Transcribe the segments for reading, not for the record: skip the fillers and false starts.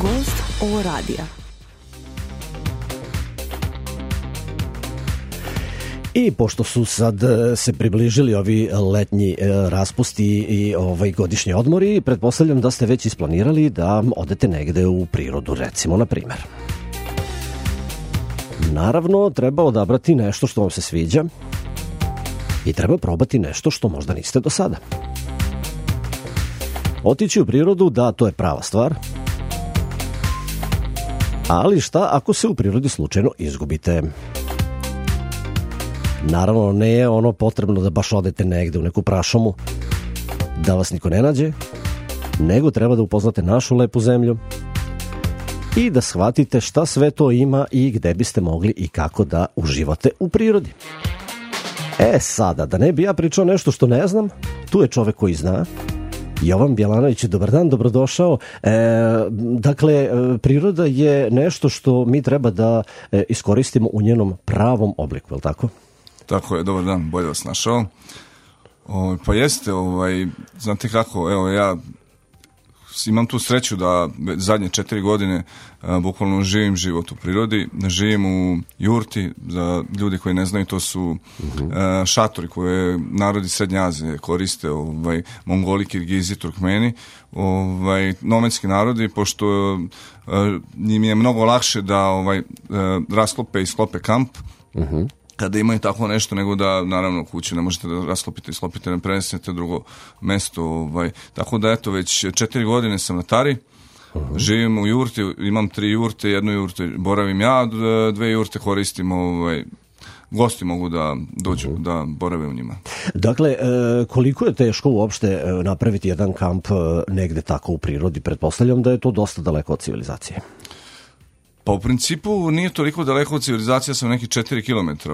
Gost ovo radija. I pošto su sad se približili ovi letnji raspusti i godišnji odmori, pretpostavljam da ste već isplanirali da odete negde u prirodu, recimo, na primer. Naravno, treba odabrati nešto što vam se sviđa i treba probati nešto što možda niste do sada. Otići u prirodu, da, to je prava stvar. Ali šta ako se u prirodi slučajno izgubite? Naravno, ne je ono potrebno da baš odete negde u neku prašumu, da vas niko ne nađe, nego treba da upoznate našu lepu zemlju i da shvatite šta sve to ima i gde biste mogli i kako da uživate u prirodi. Sada, da ne bi ja pričao nešto što ne znam, tu je čovek koji zna. Jovan Bjelanović, dobar dan, dobrodošao. Dakle, priroda je nešto što mi treba da iskoristimo u njenom pravom obliku, je li tako? Tako je, dobar dan, bolje vas našao. Pa jeste, znate kako, evo ja imam tu sreću da zadnje 4 godine bukvalno živim život u prirodi, živim u jurti. Za ljudi koji ne znaju, to su šatori koje narodi Srednje Azije koriste, Mongoli, Kirgizi, Turkmeni, nomadski narodi, pošto njim je mnogo lakše da rasklope i sklope kamp, kada imaju tako nešto, nego da, naravno, kuću ne možete da rasklopite i sklopite, ne prenesete drugo mesto. Tako da, eto, već 4 godine sam na Tari, živim u jurti, imam 3 jurte, jednu jurte boravim ja, 2 jurte koristim, gosti mogu da dođu, da borave u njima. Dakle, koliko je teško uopšte napraviti jedan kamp negde tako u prirodi? Pretpostavljam da je to dosta daleko od civilizacije. Pa u principu nije toliko daleko od civilizacije, sam neki 4 km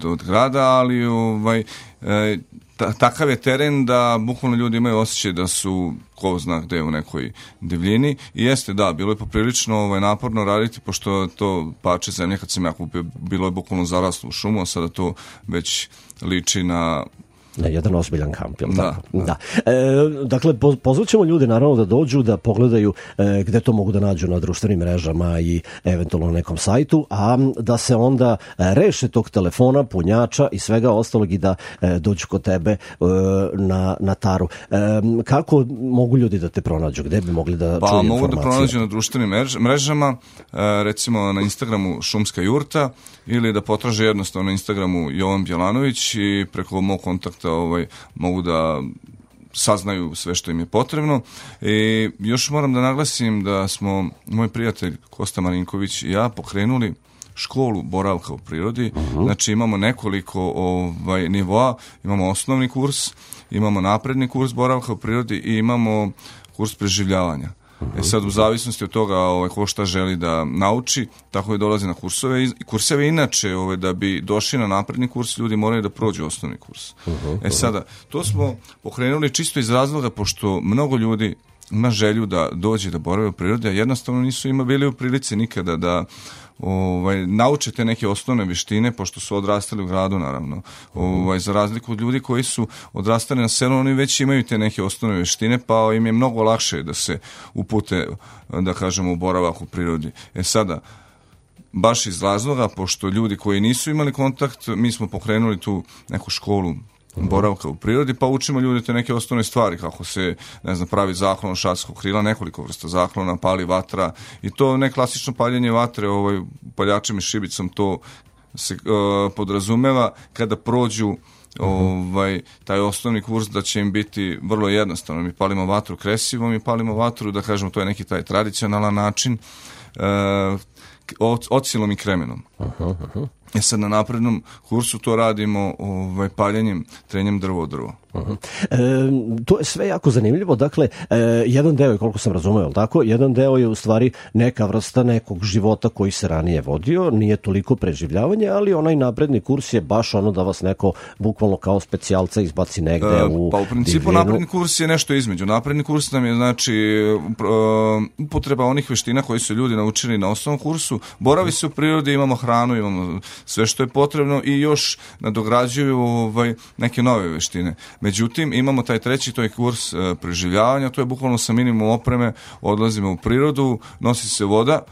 od grada, ali takav je teren da bukvalno ljudi imaju osjećaj da su, ko zna gde, u nekoj divljini. I jeste, da, bilo je poprilično naporno raditi, pošto to parče zemlje kad sam ja kupio, bilo je bukvalno zaraslo u šumu, a sada to već liči na jedan ozbiljan kamp, jel' tako? Da. Dakle, pozvaćemo ljude naravno da dođu, da pogledaju gde to mogu da nađu na društvenim mrežama i eventualno na nekom sajtu, a da se onda reše tog telefona, punjača i svega ostalog i da dođu kod tebe na Taru. Kako mogu ljudi da te pronađu? Gde bi mogli da čuju informacije? Pa mogu da pronađu na društvenim mrežama, recimo na Instagramu Šumska jurta, ili da potraže jednostavno na Instagramu Jovan Bjelanović i preko mog kontakta mogu da saznaju sve što im je potrebno. I još moram da naglasim da smo, moj prijatelj Kosta Marinković i ja, pokrenuli školu boravka u prirodi. Znači imamo nekoliko nivoa, imamo osnovni kurs, imamo napredni kurs boravka u prirodi i imamo kurs preživljavanja. Sad u zavisnosti od toga ko šta želi da nauči, tako je dolazi na kurseve. Kurseve inače, da bi došli na napredni kurs, ljudi moraju da prođu osnovni kurs. Sada, to smo pokrenuli čisto iz razloga, pošto mnogo ljudi ima želju da dođe da borave u prirodi, a jednostavno nisu bili u prilici nikada da nauče te neke osnovne vještine, pošto su odrastali u gradu, naravno. Za razliku od ljudi koji su odrastali na selu, oni već imaju te neke osnovne vještine, pa im je mnogo lakše da se upute, da kažemo, u boravak u prirodi. Sada, baš iz razloga, pošto ljudi koji nisu imali kontakt, mi smo pokrenuli tu neku školu boravka u prirodi, pa učimo ljudi te neke osnovne stvari, kako se, pravi zaklon šatskog krila, nekoliko vrsta zaklona, pali vatra, i to ne klasično paljenje vatre, paljačem i šibicom, to se podrazumeva kada prođu taj osnovni kurs, da će im biti vrlo jednostavno. Mi palimo vatru kresivom i palimo vatru, da kažemo, to je neki taj tradicionalan način, ocilom i kremenom. Sad na naprednom kursu to radimo paljenjem, trenjem drvo od drvo. To je sve jako zanimljivo. Dakle, jedan deo je, koliko sam razumeo, tako? Jedan deo je u stvari neka vrsta nekog života koji se ranije vodio, nije toliko preživljavanje, ali onaj napredni kurs je baš ono da vas neko bukvalno kao specijalca izbaci negde u Pa u principu divljinu. napredni kurs je nešto između. Napredni kurs nam je, znači, upotreba onih veština koji su ljudi naučili na osnovnom kursu. Boravi se u prirodi, imamo hranu, imamo sve što je potrebno i još nadograđuju neke nove veštine. Međutim, imamo taj treći, to je kurs preživljavanja, to je bukvalno sa minimum opreme, odlazimo u prirodu, nosi se voda,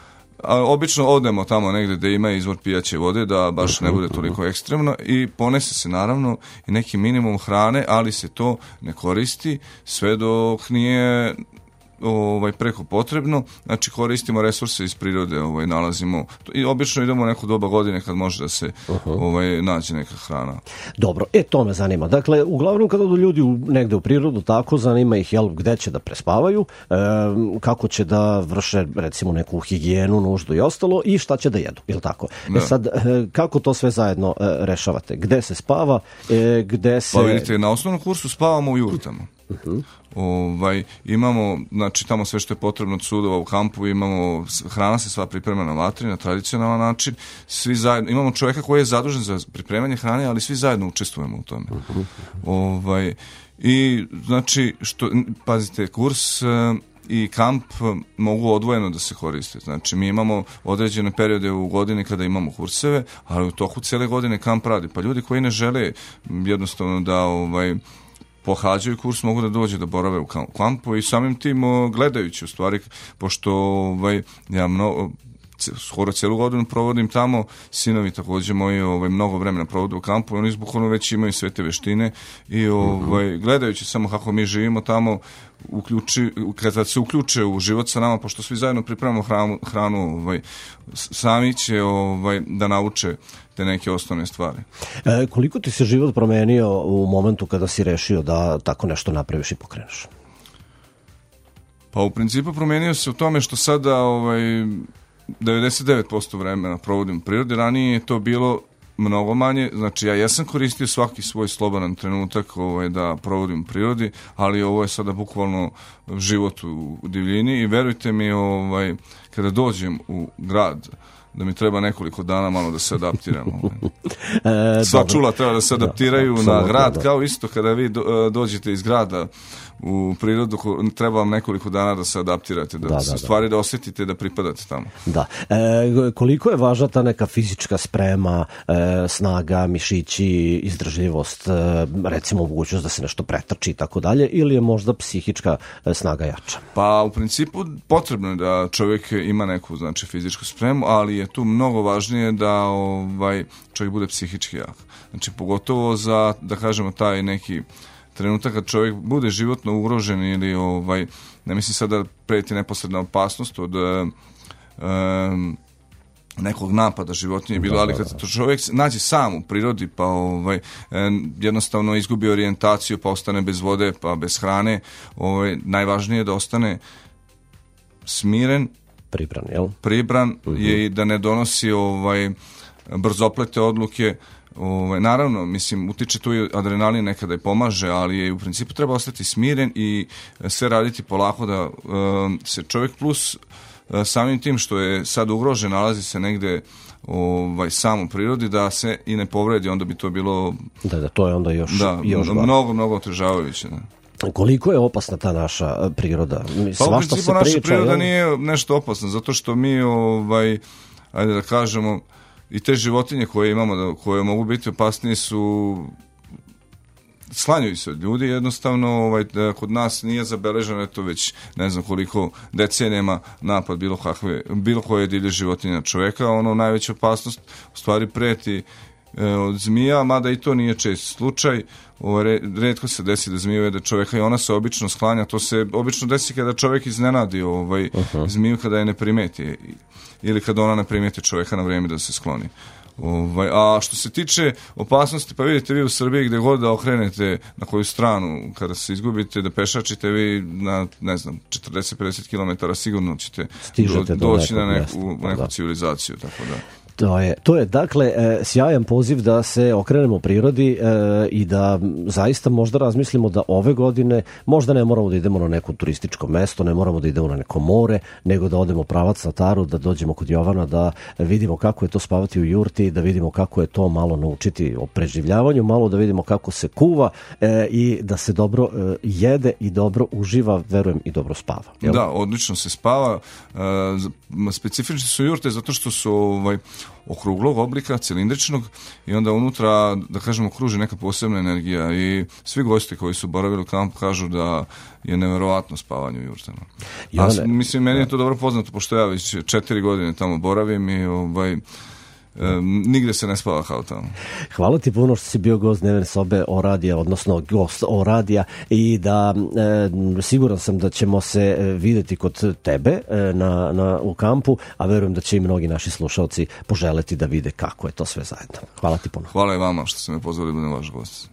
a obično odemo tamo negde gde ima izvor pijaće vode, da baš ne bude toliko ekstremno, i ponese se naravno i neki minimum hrane, ali se to ne koristi sve dok nije preko potrebno. Znači koristimo resurse iz prirode, nalazimo i obično idemo u neko doba godine kad može da se nađe neka hrana. Dobro, to me zanima. Dakle, uglavnom kada odu ljudi negde u prirodu, tako zanima ih gde će da prespavaju, kako će da vrše recimo neku higijenu, nuždu i ostalo, i šta će da jedu, ili tako? Da. Sad, kako to sve zajedno rešavate? Gde se spava, gde se... Pa vidite, na osnovnom kursu spavamo u jurtama. Imamo, znači tamo sve što je potrebno od sudova u kampu, imamo, hrana se sva priprema na vatri na tradicionalan način, svi zajedno, imamo čovjeka koji je zadužen za pripremanje hrane, ali svi zajedno učestvujemo u tome. I znači, pazite, kurs i kamp mogu odvojeno da se koriste. Znači, mi imamo određene periode u godini kada imamo kurseve, ali u toku cijele godine kamp radi. Pa ljudi koji ne žele jednostavno da pohađaju kurs, mogu da dođe da borave u kampu i samim tim gledajući u stvari, pošto ja skoro cijelu godinu provodim tamo, sinovi također moji mnogo vremena provode u kampu i oni izbukvalno već imaju sve te veštine i gledajući samo kako mi živimo tamo, kada se uključe u život sa nama, pošto svi zajedno pripremamo hranu, sami će da nauče te neke osnovne stvari. Koliko ti se život promenio u momentu kada si rešio da tako nešto napraviš i pokreneš? Pa u principu promenio se u tome što sada 99% vremena provodim u prirodi, ranije je to bilo mnogo manje, znači ja jesam koristio svaki svoj slobodan trenutak da provodim u prirodi, ali ovo je sada bukvalno život u divljini i verujte mi, kada dođem u grad, da mi treba nekoliko dana malo da se adaptiramo. Sva čula treba da se adaptiraju na grad, kao isto kada vi dođete iz grada u prirodu, treba vam nekoliko dana da se adaptirate, da stvari da osjetite, da pripadate tamo. Da. Koliko je važna ta neka fizička sprema, snaga, mišići, izdržljivost, recimo mogućnost da se nešto pretrči i tako dalje, ili je možda psihička snaga jača? Pa u principu potrebno je da čovjek ima neku, znači, fizičku spremu, ali je tu mnogo važnije da čovjek bude psihički jak. Znači pogotovo za, da kažemo, taj neki trenutak kad čovjek bude životno ugrožen ili ne mislim sad da preti neposredna opasnost od nekog napada životinje bilo, ali kad čovjek nađe sam u prirodi pa jednostavno izgubi orijentaciju, pa ostane bez vode, pa bez hrane, najvažnije je da ostane smiren, pribran je i da ne donosi brzoplete odluke. Naravno, mislim, utiče tu i adrenalin, nekada i pomaže, ali je u principu treba ostati smiren i sve raditi polako, da se čovjek plus samim tim što je sad ugrožen, nalazi se negde sam u prirodi, da se i ne povredi, onda bi to bilo... Da, to je onda još mnogo otežavajuće. Koliko je opasna ta naša priroda? Pa u principu naša priroda nije nešto opasna, zato što mi, ajde da kažemo, i te životinje koje imamo, koje mogu biti opasnije, sklanjaju se od ljudi, jednostavno kod nas nije zabeleženo, eto već ne znam koliko decenijama napad bilo koje divlje životinje na čovjeka. Najveća opasnost u stvari preti od zmija, mada i to nije čest slučaj. Retko se desi da zmiju jede čovjeka i ona se obično sklanja. To se obično desi kada čovjek iznenadi zmiju kada je ne primeti ili kada ona ne primeti čovjeka na vrijeme da se skloni. A što se tiče opasnosti, pa vidite vi u Srbiji gdje god da okrenete na koju stranu, kada se izgubite da pešačite, vi na, ne znam, 40-50 km sigurno ćete doći na neku civilizaciju, tako da. To je dakle sjajan poziv da se okrenemo prirodi i da zaista možda razmislimo da ove godine možda ne moramo da idemo na neko turističko mesto, ne moramo da idemo na neko more, nego da odemo pravac na Taru, da dođemo kod Jovana, da vidimo kako je to spavati u jurti, da vidimo kako je to malo naučiti o preživljavanju, malo da vidimo kako se kuva i da se dobro jede i dobro uživa, verujem i dobro spava. Jel? Da, odlično se spava. Specifične su jurte zato što su okruglog oblika, cilindričnog, i onda unutra, da kažemo, kruži neka posebna energija i svi gosti koji su boravili u kampu kažu da je neverovatno spavanje u jurtama. Mislim, meni je to dobro poznato, pošto ja već 4 godine tamo boravim i nigde se ne spava kao tamo. Hvala ti puno što si bio gost dnevne sobe O-radija, odnosno gost O-radija, i da siguran sam da ćemo se videti kod tebe u kampu, a verujem da će i mnogi naši slušalci poželeti da vide kako je to sve zajedno. Hvala ti puno. Hvala i vama što ste me pozvali da budem vaš gost.